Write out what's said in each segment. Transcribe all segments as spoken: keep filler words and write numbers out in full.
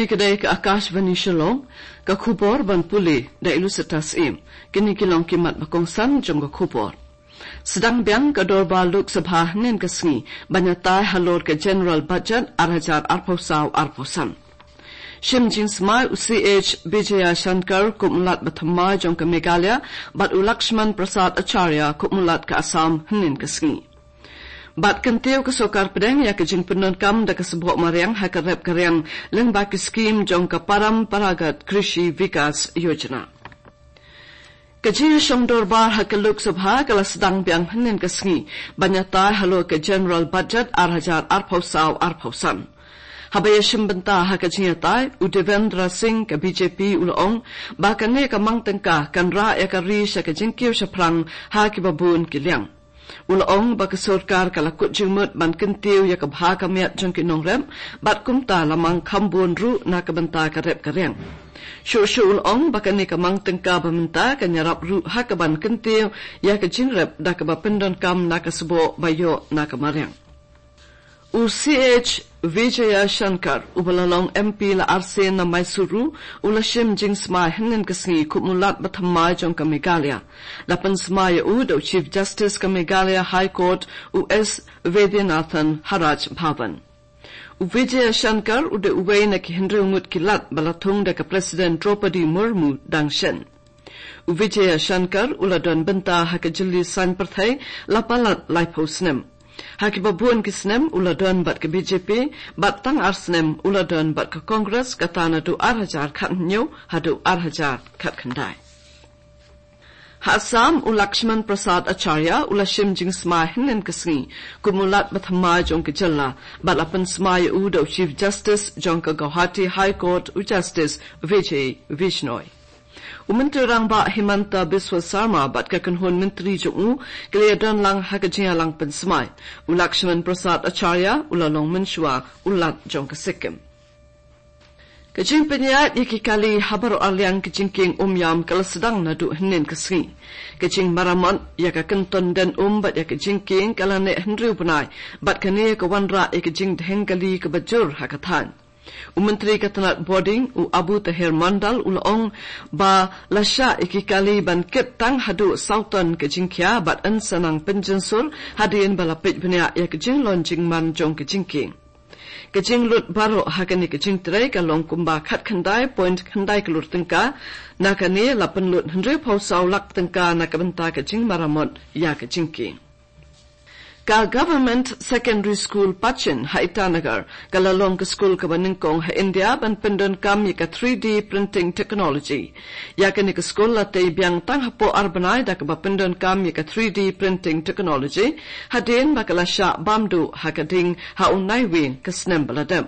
Ka dei ka Akashvani Shillong, ka khubor ban pule da i Lucetta Syiem. Kine ki long ki mat ba kongsan jong ka khubor. Sdang biang ka dorbar Lok Sabha hynnin ka sngi ban ïatai halor ka General Budget ar hajar arphew saw arphew san. Shim jingsmai u C H Vijayashankar kum u Lat bathymmai jong ka Meghalaya bad u Lakshman Prasad Acharya kum u Lat ka Assam hynnin ka sngi. Bad kyntiew ka sorkar pdeng ïa ka jingpyndonkam da ka sboh mariang ha ka rep ka riang lyngba ki skhim jong ka Paramparagat Krishi Vikas Yojana. Ka jingïashong dorbar ha ka Lok Sabha ka la sdang biang hynnin ka sngi ban ïatai halor ka General Budget ar hajar arphew saw arphew san. Haba ïashim bynta ha ka jingïatai, u Devendra Singh ka B J P u la ong ba kane ka mang tyngka kan rah ïa ka ri sha ka jingkiew shaphrang ha kiba bun ki liang. U la ong ba ka sorkar ka la kut jingmut ban kyntiew ïa ka bha ka miat jong ki nongrep bad kumta la mang kham bun ruh na ka bynta ka rep ka riang. Shuh shuh u la ong ba kane ka mang tyngka ba mynta kan ïarap ruh ha kaban kyntiew ïa ka jingrep da kaba pyndonkam na ka sboh ba ïoh na ka mariang. U C H Vijayashankar, uba la long M P la arsien na Mysuru, u la shim jingsmai hynnin ka sngi kum u Lat bathymmai jong ka Meghalaya. La pynsmai ïa u da u Chief Justice ka Meghalaya High Court, u S Vaidyanathan, ha Raj Bhavan. U Vijayashankar u dei uwei na ki hynriew ngut ki Lat ba la thung da ka President Droupadi Murmu dang shen. U Vijayashankar u la don bynta ha ka jylli saiñ pyrthei la palat laiphew snem. Ha kiba bun ki snem u la don bad ka B J P, bad tang ar snem u la don bad ka Congress, kata naduh ar hajar khathynñiew haduh ar hajar khatkhyndai. Ha Assam, u Lakshman Prasad Acharya u la shim jingsmai hynnin ka sngi kum u Lat bathymmai jong ka jylla, bad la pynsmai ïa u da u Chief Justice jong ka Guwahati High Court, u Justice Vijay Bishnoi. U Myntri Rangbah Himanta Biswa Sarma bad ka kynhun myntri jong u ki la ïadon lang ha ka jingïalang pynsmai. U Lakshman Prasad Acharya u la long mynshuwa u Lat jong ka Sikkim. Ka jingpynïaid ïa ki kali ha baroh arliang ka jingkieng Umiam ka la sdang naduh hynnin ka sngi. Ka jingmaramot ïa ka kynton den um bad ïa ka jingkieng ka la neh hynriew bnai, bad kane ka wanrah ïa ka jingdheng kali kaba jur ha ka thaiñ. U Myntri ka tnat Bording, u Abu Taher Mondal u la ong ba la shah ïa ki kali ban kit tang haduh saw ton ka jingkhia bad yn sa nang pynjynsur hadien ba la peit bniah ïa ka jinglong jingman jong ka jingkieng. Ka jinglut baroh ha kane ka jingtrei ka long kumba khatkhyndai point khyndai klur tyngka. Na kane la pynlut hynriewphew saw lak tyngka na ka bynta ka jingmaramot ïa ka jingkieng. Ka Government Secondary School Pachin ha Itanagar ka la long ka skul kaba nyngkong ha India ban pyndonkam ïa ka three D printing technology. Ïa kane ka skul la tei biang tang hapoh ar bnai da kaba pyndonkam ïa ka three D printing technology, hadien ba ka la shah bam duh ha ka ding ha u Naiwieng ka snem ba la dep.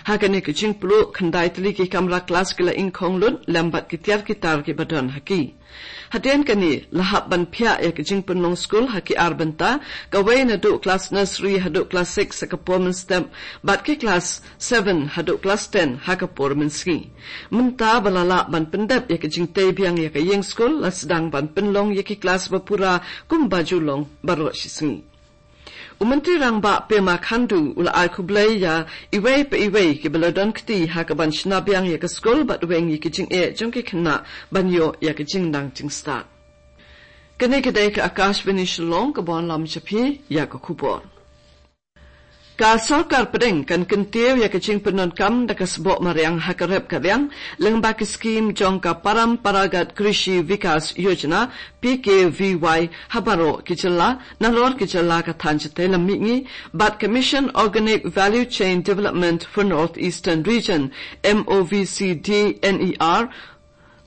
Ha kane ka jingpluh, khyndai tylli ki kamra klas ki la ingkhong lut lem bad ki tiar ki tar kiba don ha ki. Hadien kane la hap ban phiah ïa ka jingpynlong skul ha ki ar bynta, kawei naduh klas nursery haduh klas six ha ka por mynstep, bad ki klas seven haduh klas ten ha ka por mynsngi. Mynta ba la lah ban pyndep ïa ka jingtei biang ïa ka ïing skul, la sdang ban pynlong ïa ki klas ba pura kumba ju long baroh shi sngi. U Myntri Rangbah Pema Khandu u la ai khublei ïa iwei pa iwei kiba la don kti ha kaban shna biang ïa ka skul bad weng ïa ki jingeh jong ki khynnah ban ïoh ïa ka jingnang jingstad. Kane ka dei ka Akashvani Shillong kaba wanlam sha phi ïa ka khubor. Ka sorkar pdeng kan kyntiew ïa ka jingpyndonkam da ka sboh mariang ha ka rep ka riang lyngba ki skhim jong ka Paramparagat Krishi Vikas Yojana, P K V Y, ha baroh ki jylla, nalor ki jylla ka thaiñ shatei lam mihngi, bad ka Mission Organic Value Chain Development for North Eastern Region, M O V C D N E R,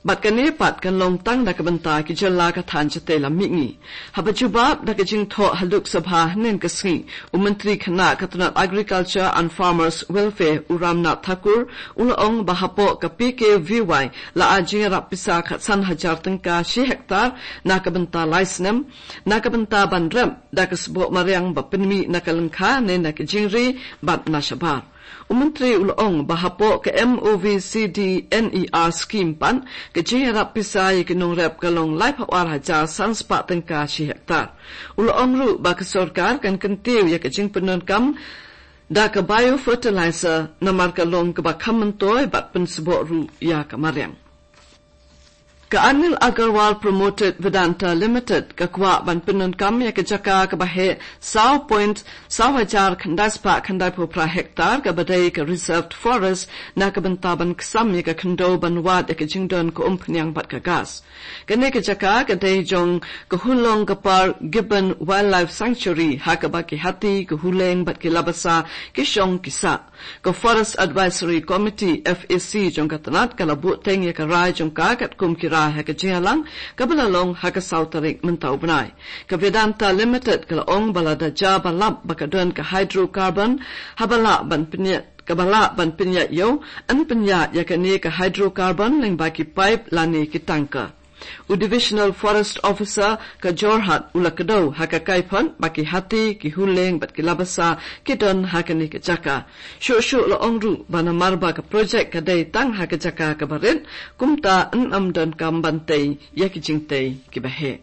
bad kane pat kan long tang na ka bynta ki jylla ka thaiñ shatei lam mihngi. Haba jubab da ka jingthoh ha Lok Sabha hynnin ka sngi, u Myntri Khynnah ka tnat Agriculture and Farmers Welfare, u Ramnath Thakur, u la ong ba hapoh ka P K V Y la ai jingïarap pisa khatsan hajar tyngka shi hektar na ka bynta lai snem, na ka bynta ban rep da ka sboh mariang ba pynmih na ka lyngkha ne na ka jingri bad na shabar. U Myntri u la ong ba hapoh ka M O V C D N E R scheme pat, ka jingïarap pisa ïa ki nongrep ka long laiphew ar hajar san spah tyngka shi hektar. U la ong ruh ba ka sorkar kan kyntiew ïa ka jingpyndonkam da ka biofertilizer namar ka long kaba kham myntoi bad pynsboh ruh ïa ka mariang. Ka Anil Agarwal Promoted Vedanta Limited ka kwah ban pyndonkam ïa ka jaka kaba heh saw point saw hajar khyndai spah khyndai phew phra hektar kaba dei ka reserved forest na ka bynta ban ksam ïa ka khyndew ban wad ïa ka jingdon ka umphniang bad ka gas. Kane ka jaka ka dei jong ka Hulong ka Par Gibbon Wildlife Sanctuary ha kaba ki hati, ka huleng bad ki labasa ki shong ki sah. Ka Forest Advisory Committee, F A C, jong ka tnat ka la buh teng ïa ka rai jong ka katkum ki rai ha ka jingïalang kaba la long ha ka saw tarik mynta u bnai. Ka Vedanta Limited ka la ong ba lada jia ba lap ba ka don ka hydrocarbon haba lah ban pynïaid, kaba lah ban pynïaid ïew, yn pynïaid ïa kane ka hydrocarbon lyngba ki pipe lane ki tanker. U Divisional Forest Officer ka Jorhat u la kdew ha ka kaiphod ba ki hati, ki huleng bad ki labasa ki don ha kane ka jaka. Shuh shuh la ong ruh ba namar ba ka projek ka dei tang ha ka jaka kaba rit, kumta yn ym donkam ban tei ïa ki jingtei kiba heh.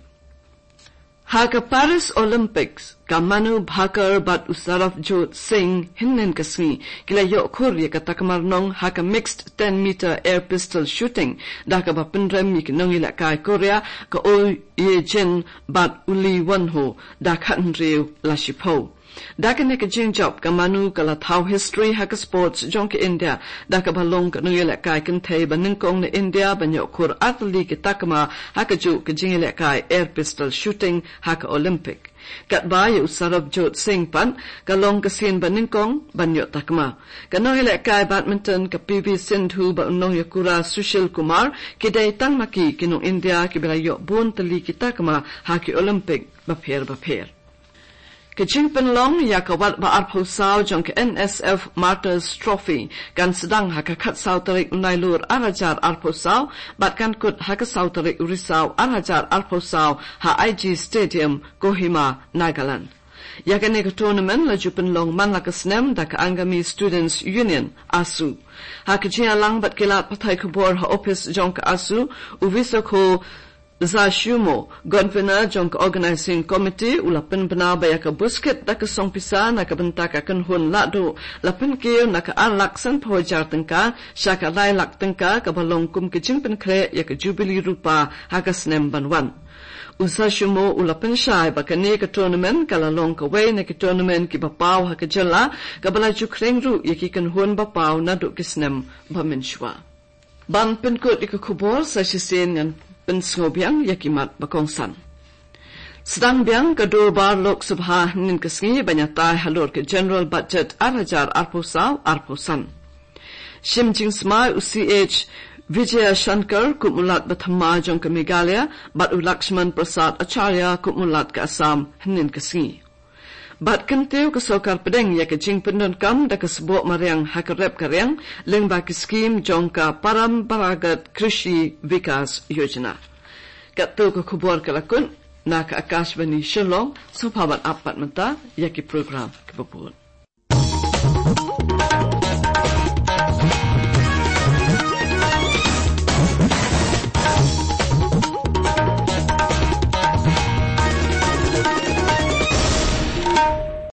Ha ka Paris Olympics, ka Manu Bhaker bad u Sarabjot Singh hynnin ka sngi ki la ïoh khur ïa ka takma rnong ha ka mixed ten meter air pistol shooting, da kaba pynrem ïa ki nongïalehkai Korea, ka Oh Ye Jin bad u Lee Won Ho, da khathynriew la shiphew. Da kane ka jingjop ka Manu ka la thaw history ha ka sports jong ka India, da kaba long ka nongïalehkai kynthei ba nyngkong na India ban ïoh khur ar tylli ki takma ha kajuh ka jingïalehkai air pistol shooting ha ka Olympic. Katba ïa u Sarabjot Singh pat ka long ka sien ba nyngkong ban ïoh takma. Ka nongïalehkai badminton ka P V Sindhu bad u nongïakura Sushil Kumar ki dei tang ma ki ki nong India kiba la ïoh bun tylli ki takma ha ki Olympic bapher bapher. Ka jingpynlong ïa ka wat ba arphew saw jong ka N S F Martyrs Trophy kan sdang ha ka khatsaw tarik u Nailur ar hajar arphew saw bad kan kut ha ka saw tarik u Risaw ar hajar arphew saw ha I G Stadium, Kohima, Nagaland. Ïa kane ka tournament la ju pynlong man la ka snem da ka Angami Students Union, ASU. Ha ka jingïalang bad ki lad pathai khubor ha ophis jong ka ASU, u Visokho Zashumo, Convener jong ka Organizing Committee, u la pynbna ba ïa ka buskit da ka song pisa na ka bynta ka kynhun lahduh la pynkiew na ka ar lak sanphew hajar tyngka sha ka lai lak tyngka, kaba long kum ka jingpynkhreh ïa ka Jubilee Rupa ha ka snem ban wan. U Zashumo u la pynshai ba kane ka tournament ka la long kawei na ki tournament kiba paw ha ka jylla, kaba la ju khring ruh ïa ki kynhun ba paw naduh ki snem ba mynshuwa. Ban pynkut ïa ka khubor, sa shisien ngan pynsngew biang ïa ki mat ba kongsan. Sdang biang ka Dorbar Lok Sabha hynnin ka sngi ban ïatai halor ka General Budget ar hajar arphew saw arphew san. Shim jingsmai u C H Vijayashankar kum u Lat Bathymmai jong ka Meghalaya bad u Lakshman Prasad Acharya kum u Lat ka Assam hynnin ka sngi. Bad kyntiew ka sorkar pdeng ïa ka jingpyndonkam da ka sboh mariang ha ka rep ka riang lyngba ki skim jong ka Paramparagat Krishi Vikas Yojana. Katto ka khubor ka la kut na ka Akashvani Shillong, sngewbha ban ap pat mynta ïa ki program kiba bud.